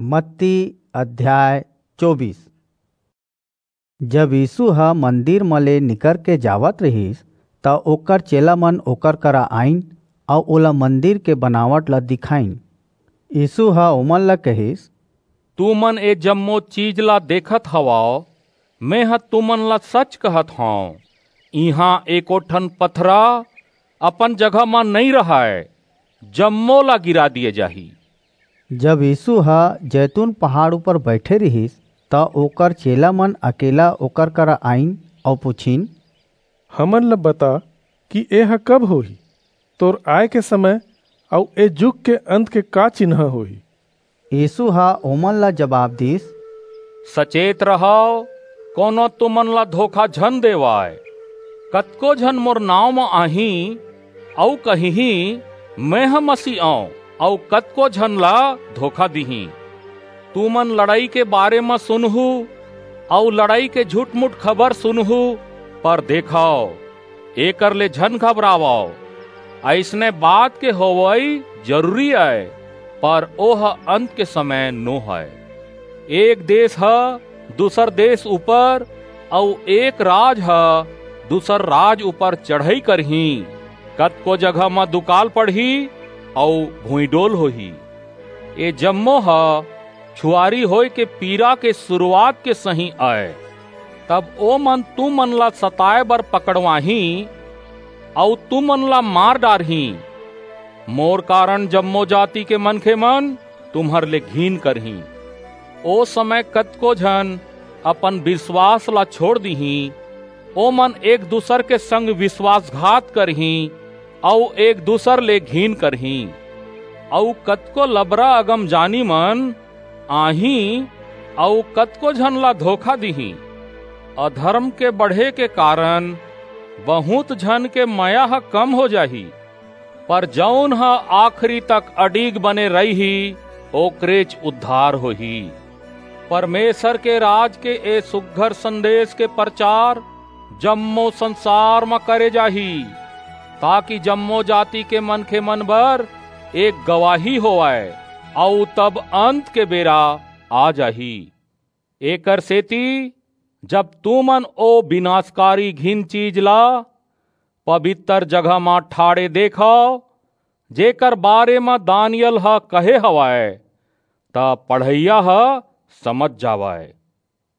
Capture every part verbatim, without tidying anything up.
मत्ती अध्याय चौबीस। जब यीसू ह मंदिर म ले निकर के जावत रिहिस, त ओकर चेला मन ओकर करा आईन अऊ ओला मंदिर के बनावट ला दिखाईन। यीसू ह ओमन ला कहिस, "तुमन ए जम्मो चीज ला देखत हवव, मेंह तुमन ला सच कहत हंव, इहां एको ठन पथरा अपन जगह म नइं रहय, जम्मो ला गिरा दिये जाही।" जब यीसू ह जैतून पहाड़ ऊपर बईठे रिहिस, त ओकर चेला मन अकेला ओकर करा आईन अऊ पुछिन, "हमन ला बता कि एह कब होही? तोर आय के समय अऊ ए जुग के अंत के का चिन्हा होही?" यीसू ह ओमन ला जबाब दीस, "सचेत रहव, कोनो तुमन ला धोखा झन देवय। कतको झन मोर नांव म आहीं अऊ कहिहीं, 'मेंह मसीह अंव,' अऊ कतको झन ला धोखा दिहीं। तुमन लड़ई के बारे म सुनहू अऊ लड़ई के झूठ-मूठ खबर सुनहू, पर देखव, एकर ले झन घबरावव। अइसने बात के होवई जरूरी अय, पर ओह अंत के समय नो हय। एक देस ह दूसर देस ऊपर अऊ एक राज ह दूसर राज ऊपर चढ़ई करहीं। कतको जगह म दुकाल पड़ही अऊ भुइंडोल होही। ए जम्मो ह छुआरी होय के पीरा के सुरूवात के सहीं अय। तब ओमन तुमन ला सताय बर पकड़वाहीं अऊ तुमन ला मार डारहीं। मोर कारन जम्मो जाति के मनखेमन तुम्हर ले घिन करहीं। ओ समय कतको झन अपन बिसवास ला छोंड़ दिहीं, ओमन एक-दूसर के संग बिसवासघात करहीं अऊ एक-दूसर ले घिन करहीं। अऊ कतको लबरा अगमजानी मन आहीं अऊ कतको झन ला धोखा दिहीं। अधरम के बढ़े के कारन बहुंत झन के मया ह कम हो जाही, पर जऊन ह आखिरी तक अडिग बने रइही, ओकरेच उद्धार होही। परमेसर के राज के ए सुघर संदेस के परचार जम्मो संसार म करे जाही, ताकि जम्मो जाति के मनखेमन बर एक गवाही होवय, अऊ तब अंत के बेरा आ जाही। एकरसेति जब तुमन ओ बिनासकारी घिन चीज ला पबितर जगह म ठाढ़े देखव, जेकर बारे म दानिय्येल ह कहे हवय, त पढ़इया ह समझ जावय।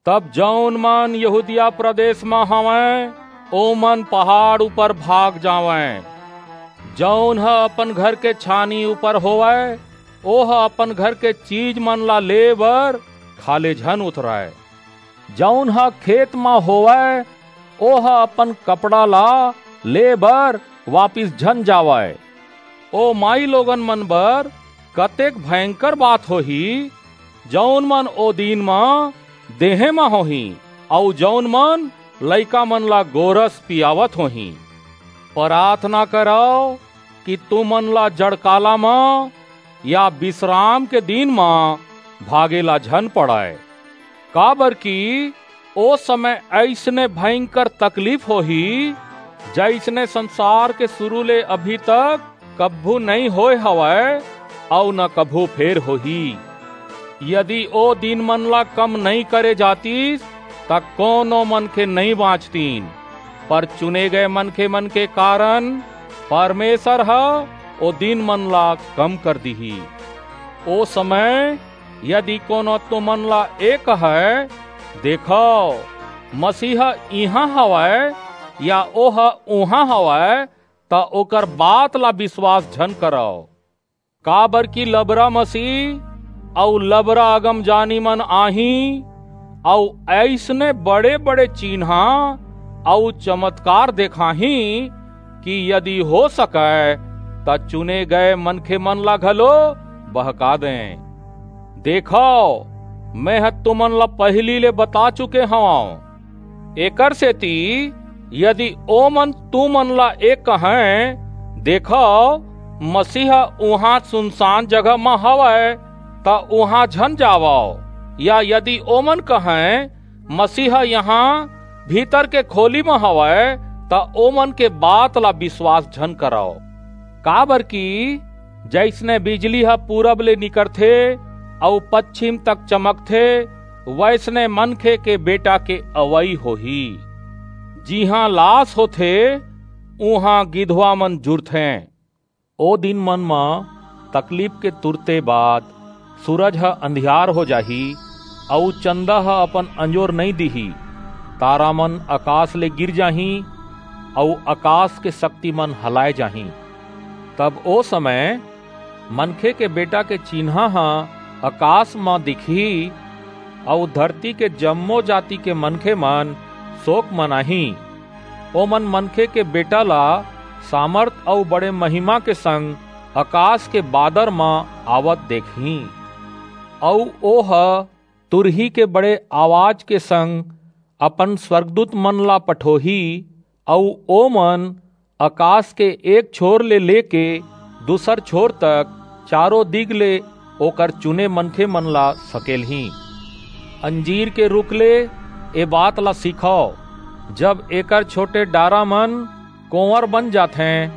तब जऊन मन यहूदिया प्रदेस म हवंय, ओमन पहाड़ ऊपर भाग जावंय। जऊन ह अपन घर के छानी ऊपर होवय, ओह अपन घर के चीजमन ला ले बर खाल्हे झन उतरय। जऊन ह खेत म होवय, ओह अपन कपड़ा ला ले बर वापिस झन जावय। ओ माईलोगन मन बर कतेक भयंकर बात होही, जऊन मन ओ दिन म देहें म होहीं, अऊ जऊन मन लइकामन ला गोरस पियावत होहीं। पराथना करव कि तुमन ला जड़काला म या बिसराम के दिन म भागे ला झन पड़य, काबरकि ओ समय अइसने भयंकर तकलीफ होही, जइसने संसार के सुरू ले अभी तक कभू नइं होय हवय, अऊ न कभू फेर होही। यदि ओ दिनमन ला कम नइं करे जातिस, त कोनो मनखे नइं बांचतिन, पर चुने गय मनखेमन के कारन परमेसर ह ओ दिनमन ला कम कर दिही। ओ समय यदि कोनो तुमन ला ए कहय, "देखव, मसीह इहां हवय," या "ओह उहां हवय," त ओकर बात ला बिसवास झन करव। काबरकि लबरा मसीह अऊ लबरा अगमजानीमन आहीं, अऊ अइसने बड़े-बड़े चिन्हां अऊ चमतकार देखाहीं, कि यदि हो सकय, त चुने गय मनखेमन ला घलो बहका देंय। देखव, मेंह तुमन ला पहिली ले बता चुके हवंव। एकरसेति यदि ओमन तुमन ला ए कहंय, "देखव, मसीह उहां सुनसान जगह म हवय," त उहां झन जावव। या यदि ओमन कहंय, "मसीह इहां भीतर के खोली म हवय," त ओमन के बात ला बिसवास झन करव। काबरकि जइसने बिजली ह पूरब ले निकरथे अऊ पच्छिम तक चमकथे, वइसने मनखे के बेटा के अवई होही। जिहां लास होथे, उहां गिधवा मन जुरथें। ओ दिन मन म तकलीफ के तुरते बाद सूरज ह अंधियार हो जाही, अऊ चंदा ह अपन अंजोर नइं दिही। तारा मन अकास ले गिर जाहीं, अऊ अकास के शक्ति मन हलाय जाहीं। तब ओ समय मनखे के बेटा के चिन्हा ह अकास म दिखही, अऊ धरती के जम्मो जाति के मनखे मन सोक मनाहीं। ओमन मनखे के बेटा ला सामर्थ अऊ बड़े महिमा के संग अकास के बादर म आवत देखहीं। अऊ ओह तुरही के बड़े आवाज के संग अपन स्वर्गदूत मन ला पठोही, अऊ ओमन अकास के एक छोर ले लेके दूसर छोर तक चारों दिग ले ओकर चुने मनखे मन ला सकेलहीं। अंजीर के रूख ले ए बात ला सीखव, जब एकर छोटे डारा मन कोंवर बन जाथें,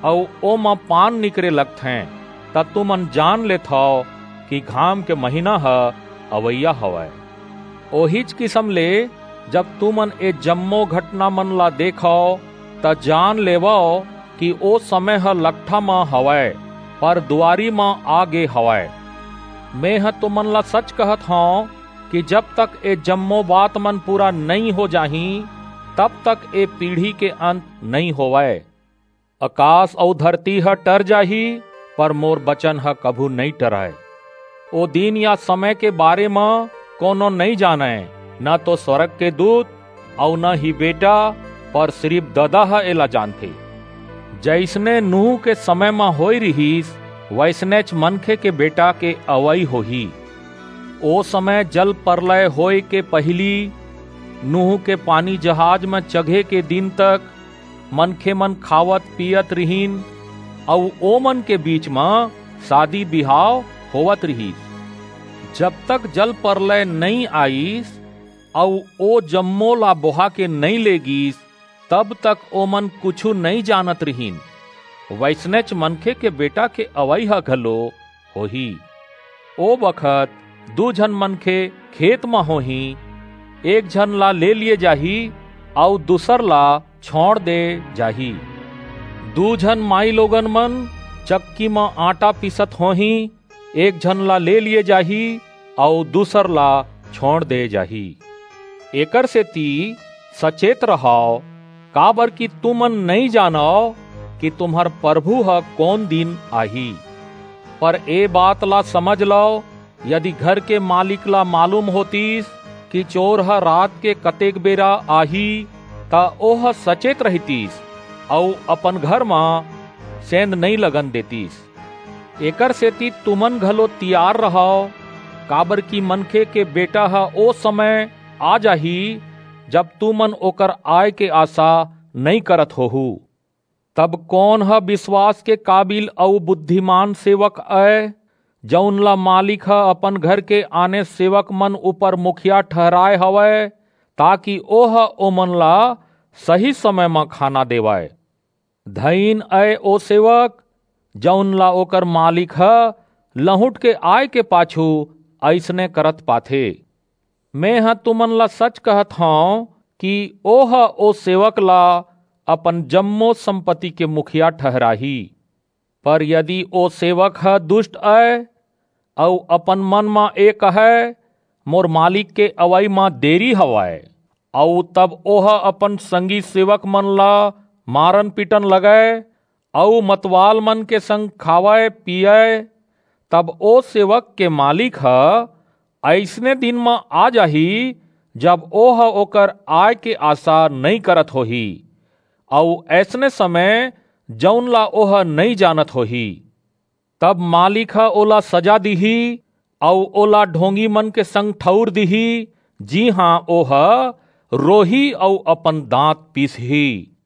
अऊ ओमा पान निकरे लगथें, त तुमन जान लेथव कि घाम के महीना ह अवइया हवय। ओहीच किसम ले, जब तुमन ए जम्मो घटना मन ला देखव, त जान लेवव कि ओ समय ह लकठा म हवय, पर दुवारी म आ गे हवय। मेंह तुमन ला सच कहत हंव कि जब तक ए जम्मो बात मन पूरा नइं हो जाहीं, तब तक ए पीढ़ी के अंत नइं होवय। अकास अऊ धरती ह टर जाही, पर मोर बचन ह कभू नइं टरय। ओ दिन या समय के बारे म कोनो नइं जानय, न तो स्वर्ग के दूत अऊ न ही बेटा, पर सिरिप ददा ह एला जानथे। जइसने नूह के समय म होय रिहिस, वइसनेच मनखे के बेटा के अवई होही। ओ समय जल परलय होय के पहिली, नूह के पानी जहाज म चघे के दिन तक, मनखे मन खावत पीयत रिहिन, अऊ ओमन के बीच म सादी बिहाव होवत रिहिस। जब तक जल परलय नइं आईस, अऊ ओ जम्मो ला बोहा के नइं ले गीस, तब तक ओमन कुछू नइं जानत रिहिन। वइसनेच मनखे के बेटा के अवई ह घलो होही। ओ बखत दू झन मनखे खेत म होहीं, एक झन ला ले लिये जाही, अऊ दूसर ला छोंड़ दे जाही। दू झन माईलोगन मन चक्की म आटा पीसत होहीं, एक झन ला ले लिये जाही, अऊ दूसर ला छोंड़ दे जाही। एकर सेती सचेत रहव, काबरकि तुमन नइं जानव कि तुम्हर परभू ह कोन दिन आही। पर ए बात ला समझ लव, यदि घर के मालिक ला मालूम होतिस कि चोर ह रात के कतेक बेरा आही, त ओह सचेत रहितिस अऊ अपन घर म सेंध नइं लगन देतिस। एकर सेती तुमन घलो तियार रहव, काबरकि मनखे के बेटा ह ओ समय आ जाही, जब तुमन ओकर आय के आसा नइं करत होहू। तब कोन ह बिसवास के काबिल अऊ बुद्धिमान सेवक अय, जऊन ला मालिक ह अपन घर के आने सेवक मन ऊपर मुखिया ठहराय हवय, ताकि ओह ओमन ला सही समय म खाना देवय? धइन अय ओ सेवक, जऊन ला ओकर मालिक ह लहुंट के आय के पाछू अइसने करत पाथे। मेंह तुमन ला सच कहत हंव कि ओह ओ सेवक ला अपन जम्मो संपत्ति के मुखिया ठहराही। पर यदि ओ सेवक ह दुस्ट अय अऊ अपन मन म ए कहय, "मोर मालिक के अवई म देरी हवय," अऊ तब ओह अपन संगी सेवक मन ला मारन पीटन लगय अऊ मतवाल मन के संग खावय पीयय, तब ओ सेवक के मालिक ह अइसने दिन म आ जाही, जब ओह ओकर आय के आसा नइं करत होही, अऊ अइसने समय, जऊन ला ओह नइं जानत होही। तब मालिक ह ओला सजा दिही, अऊ ओला ढोंगी मन के संग ठऊर दिही, जिहां ओह रोही अऊ अपन दांत पीसही।